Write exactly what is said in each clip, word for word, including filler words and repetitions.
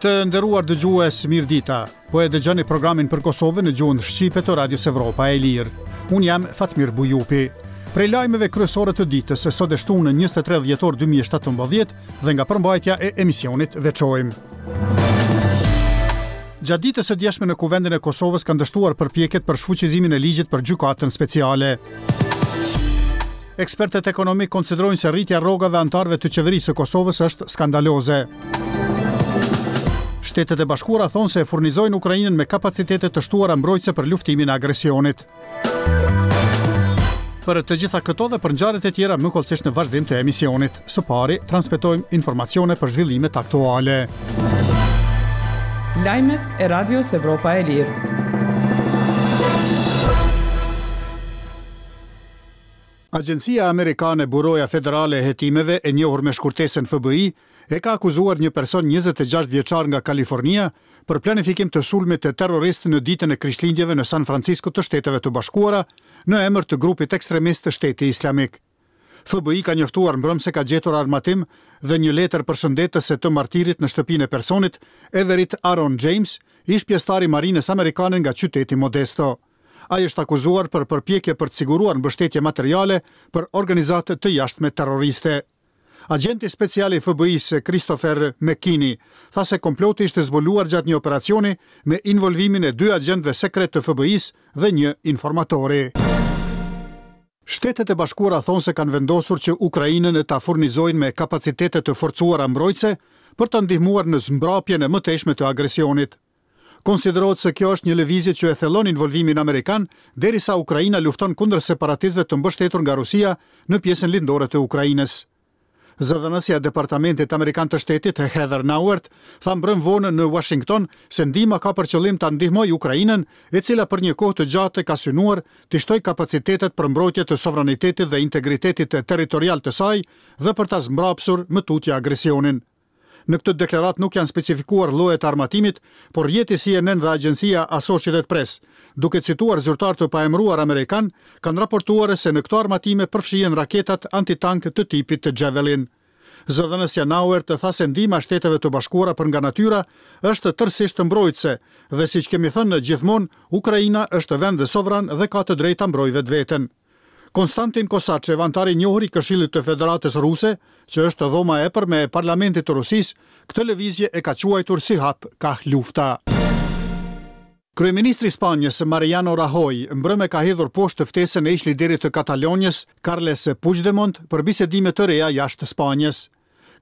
Të nderuar dëgjues, mirë dita. Po e dëgjoni programin për Kosovën në gjuhën shqipe të Radios Evropa e Lirë. Unë jam Fatmir Bujupi. Prej lajmeve kryesore të ditës, sot e shtunë njëzet e tre dhjetor dy mijë e shtatëmbëdhjetë dhe nga përmbajtja e emisionit veçojmë. Gjatë ditës së djeshme në Kuvendin e Kosovës kanë dështuar përpjekjet për shfuqizimin e ligjit për gjykatën speciale. Ekspertët ekonomik konsiderojnë se rritja e rrogave anëtarëve të qeverisë së Kosovës është skandaloze. Shtetet e Bashkuara thonë se e furnizojnë Ukrainën me kapacitete të shtuara mbrojtëse për luftimin e agresionit. Për të gjitha këto dhe për ngjarjet e tjera më hollësisht në vazhdim të emisionit. Së pari, transmetojmë informacione për zhvillimet aktuale. Lajmet e Radios Evropa e Lirë. Agjencia Amerikane Buroja Federale e Hetimeve, e njohur me shkurtesën F B I, e ka akuzuar një person njëzet e gjashtë vjeçar nga Kalifornia për planifikim të sulmit të terrorist në ditën e Krishtlindjeve në San Francisco të Shteteve të Bashkuara, në emër të grupit ekstremist të Shteti Islamik. F B I ka njoftuar mbrëmë se ka gjetur armatim dhe një letër përshëndetëse të martirit në shtëpinë e personit, Everett Aaron James, ish pjesëtar i marinës amerikane nga qyteti Modesto. Ai është akuzuar për përpjekje për të siguruar mbështetje materiale për organizatë të jashtme terroriste. Agenti special i F B I-së Christopher McKinney tha se komploti ishte zbuluar gjatë një operacioni me involvimin e dy agjentëve sekret të F B I-së dhe një informatori. Shtetet e Bashkuara thonë se kanë vendosur që Ukrainën e ta furnizojnë me kapacitete të forcuara mbrojtëse për të ndihmuar në zmbrapjen e mëtejshme të agresionit. Konsiderohet se kjo është një lëvizje që e thellon involvimin amerikan derisa Ukraina lufton kundër separatistëve të mbështetur nga Rusia në pjesën lindore të Ukrainës. Zëdhënësja e Departamentit Amerikan të Shtetit, Heather Nauert, tha mbrëm vonë në Washington se ndihma ka për qëllim ta ndihmojë Ukrainën, e cila për një kohë të gjatë ka synuar të shtojë kapacitetet për mbrojtje të sovranitetit dhe integritetit territorial të saj dhe për ta zmbrapsur më tutje agresionin. Në këtë deklaratë nuk janë specifikuar llojet e armatimit, por rrjeti C N N dhe agjencia Associated Press, duke cituar zyrtar të paemëruar amerikan, kanë raportuar se në këto armatime përfshihen raketat antitank të tipit të Javelin. Zëdhënësja Nauert tha se ndihma e Shteteve të Bashkuara për nga natyra është tërësisht mbrojtëse dhe, siç kemi thënë gjithmonë, Ukraina është vend sovran dhe ka të drejtë ta mbrojë vetveten. Konstantin Kosachev, anëtar i njohur i Këshillit të Federatës Ruse, që është dhoma e epërme e Parlamentit të Rusisë, këtë lëvizje e ka quajtur si hap kah lufta. Kryeministri i Spanjës Mariano Rajoy mbrëmë ka hedhur poshtë ftesën e ish liderit të Katalonjës, Carles Puigdemont, për bisedime të reja jashtë Spanjës.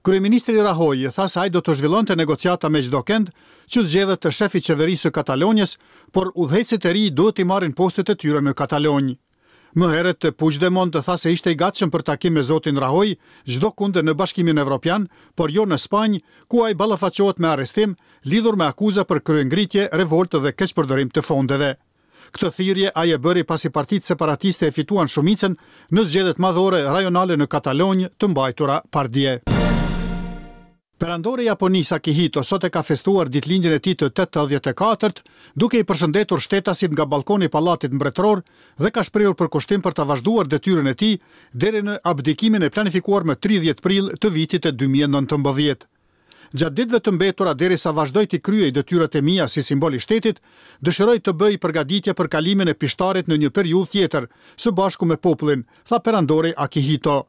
Kryeministri Rajoy tha se ai do të zhvillonte negociata me çdo kend që zgjedhet të shefi i qeverisë së Katalonjës, por udhëheqësit e ri duhet t'i marrin postet e tyre në Katalonjë. Më herët Puigdemont tha se ishte i gatshëm për takim me zotin Rajoy çdo kund në Bashkimin Evropian, por jo në Spanjë, ku ai ballafaqohet me arrestim lidhur me akuza për kryengritje, revoltë dhe keqpërdorim të fondeve. Këtë thirrje ai e bëri pasi partitë separatiste e fituan shumicën në zgjedhjet madhore rajonale në Katalonjë të mbajtura pardje. Perandori i Japonisë Akihito sot e ka festuar ditëlindjen e tij të tetëdhjetë e katërt, duke i përshëndetur shtetasit nga balkoni i Pallatit Mbretëror dhe ka shprehur përkushtim për ta vazhduar detyrën e tij deri në abdikimin e planifikuar më tridhjetë prill të vitit dy mijë e nëntëmbëdhjetë. "Gjatë ditëve të mbetura derisa vazhdoj të kryej detyrat e mia si simbol i shtetit, dëshiroj të bëj përgatitje për kalimin e pishtarit në një periudhë tjetër, së bashku me popullin", tha perandori Akihito.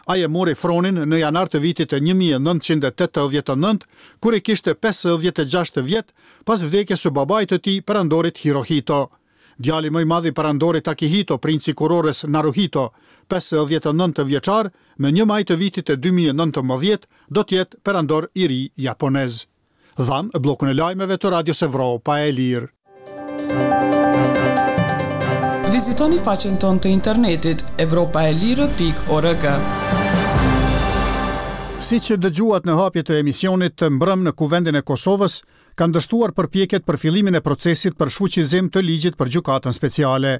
Ai e mori fronin në janar të vitit të një mijë e nëntëqind e tetëdhjetë e nëntë, kur i kishte pesëdhjetë e gjashtë vjet, pas vdekjes së babait të tij, perandorit Hirohito. Djali më i madh i perandorit Akihito, princi i kurorës Naruhito, pesëdhjetë e nëntë vjeçar, më një maj të vitit të dy mijë e nëntëmbëdhjetë do të jetë perandor i ri japonez. Dhamë bllokun e lajmeve të Radios Evropa e Lirë. Vizitoni faqen tonë të internetit evropaelire pikë org. Si që dëgjuat në hapje të emisionit, të mbrëm në Kuvendin e Kosovës kanë dështuar përpjekjet për fillimin e procesit për shfuqizim të ligjit për gjykatën speciale.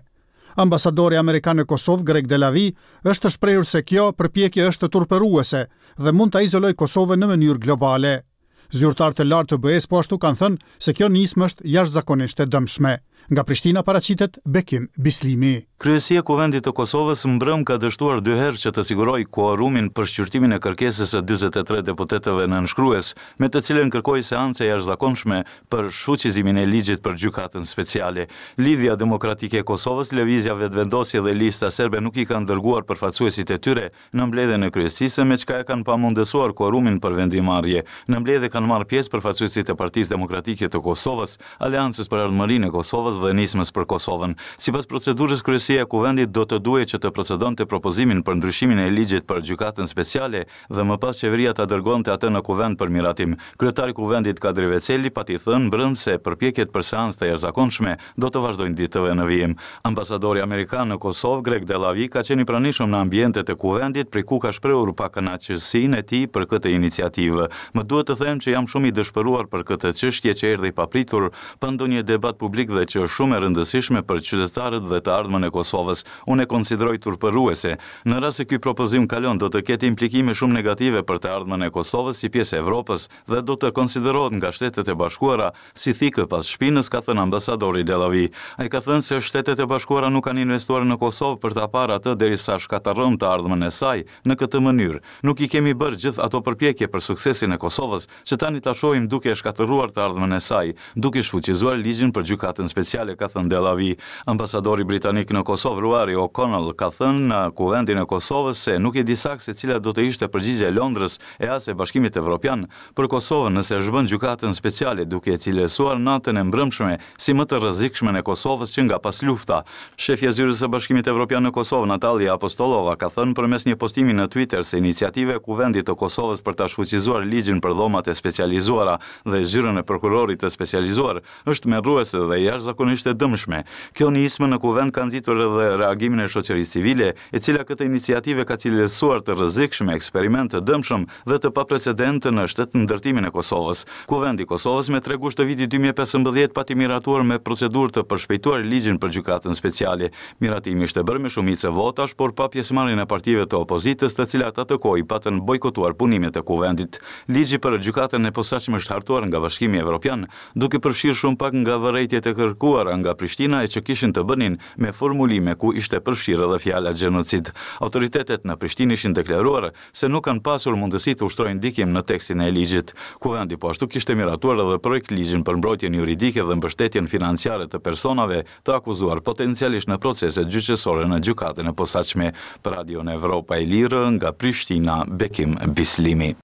Ambasadori amerikan në Kosovë, Greg Delawie, është shprehur se kjo përpjekje është turpëruese dhe mund ta izolojë Kosovën në mënyrë globale. Zyrtar të lartë të B E-s po ashtu kanë thënë se kjo nismë është jashtëzakonisht e dëmshme. Nga Prishtina paraqitet Bekim Bislimi. Kryesia e Kuvendit të Kosovës mbrëm ka dështuar dy herë që të sigurojë kuorumin për shqyrtimin e kërkesës së dyzet e tre deputetëve nënshkrues, me të cilën kërkoi seancë e jashtëzakonshme për shfuqizimin e ligjit për gjykatën speciale. Lidhja Demokratike e Kosovës, Lëvizja Vetëvendosje dhe Lista Serbe nuk i kanë dërguar përfaqësuesit e tyre në mbledhjen e kryesisë, me çka e kanë pamundësuar kuorumin për vendimmarrje. Në mbledhje kanë marrë pjesë përfaqësuesit e Partisë Demokratike të Kosovës, Aleancës për Ardhmërinë e Kosovës dhe Nismës për Kosovën. Sipas procedurës, Kryesia e Kuvendit do të duhej që të procedonte propozimin për ndryshimin e ligjit për gjykatën speciale dhe më pas qeveria ta dërgonte atë në Kuvend për miratim. Kryetari i Kuvendit Kadri Veseli pati thënë mbrëm se përpjekjet për seancë të jashtëzakonshme do të vazhdojnë ditëve në vijim. Ambasadori amerikan në Kosovë, Greg Delavi, ka qenë i pranishëm në ambientet e Kuvendit, prej ku ka shprehur pakënaqësinë e tij për këtë iniciativë. Më duhet të them që jam shumë i dëshpëruar për këtë çështje që erdhi papritur, pa ndonjë debat publik dhe që është shumë e rëndësishme për qytetarët dhe të ardhmen e Kosovës. Unë e konsideroj turpëruese. Në rast se ky propozim kalon, do të ketë implikime shumë negative për të ardhmen e Kosovës si pjesë e Evropës dhe do të konsiderohet nga Shtetet e Bashkuara si thikë pas shpinës, ka thënë ambasadori Delavi. Ai ka thënë se Shtetet e Bashkuara nuk kanë investuar në Kosovë për ta parë atë derisa shkatërron të ardhmen e saj në këtë mënyrë. Nuk i kemi bërë gjithë ato përpjekje për suksesin e Kosovës, që tani ta shohim duke e shkatërruar të ardhmen e saj, duke shfuqizuar ligjin për gjykatën speciale, ka thënë Delavi. Ambasadori britanik në Kosovë, Ruari O'Connell, ka thënë në Kuvendin e Kosovës se nuk e di saktë se cila do të ishte përgjigjja e Londrës e as e Bashkimit Evropian për Kosovën nëse zhbën gjykatën speciale, duke e cilësuar natën e mbrëmshme si më të rrezikshmen e Kosovës që nga pas lufta. Shefja e zyrës së Bashkimit Evropian në Kosovë, Natalia Apostolova, ka thënë përmes një postimi në Twitter se iniciativa e Kuvendit të Kosovës për ta shfuqizuar ligjin për dhomat e specializuara dhe zyrën e prokurorit të specializuar është tmerruese dhe jashtëzakonisht e dëmshme. Kjo nismë në Kuvend ka nxitur edhe reagimin e shoqërisë civile, e cila këtë iniciativë ka cilësuar të rrezikshme, eksperiment të dëmshëm dhe të paprecedentë në shtetndërtimin e Kosovës. Kuvendi i Kosovës me tre gusht të vitit dy mijë e pesëmbëdhjetë pati miratuar me procedurë të përshpejtuar ligjin për gjykatën speciale. Miratimi ishte bërë me shumicë votash, por pa pjesëmarrjen e partive të opozitës, të cilat atë kohë i patën bojkotuar punimet e Kuvendit. Ligji për gjykatën e posaçme është hartuar nga Bashkimi Evropian, duke përfshirë shumë pak nga vërejtjet e kërkuara nga Prishtina e që kishin të bënin me formulime ku ishte përfshirë edhe fjala gjenocid. Autoritetet në Prishtinë ishin deklaruar se nuk kanë pasur mundësi të ushtrojnë ndikim në tekstin e ligjit. Kuvendi po ashtu kishte miratuar edhe projekt ligjin për mbrojtjen juridike dhe mbështetjen financiare të personave të akuzuar potencialisht në proceset gjyqësore në gjykatën e posaçme. Për Radion Evropa e Lirë nga Prishtina, Bekim Bislimi.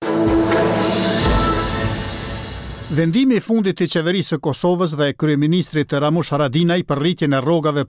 Vendimi i fundit i qeverisë së Kosovës dhe kryeministrit Ramush Haradinaj për rritjen e rrogave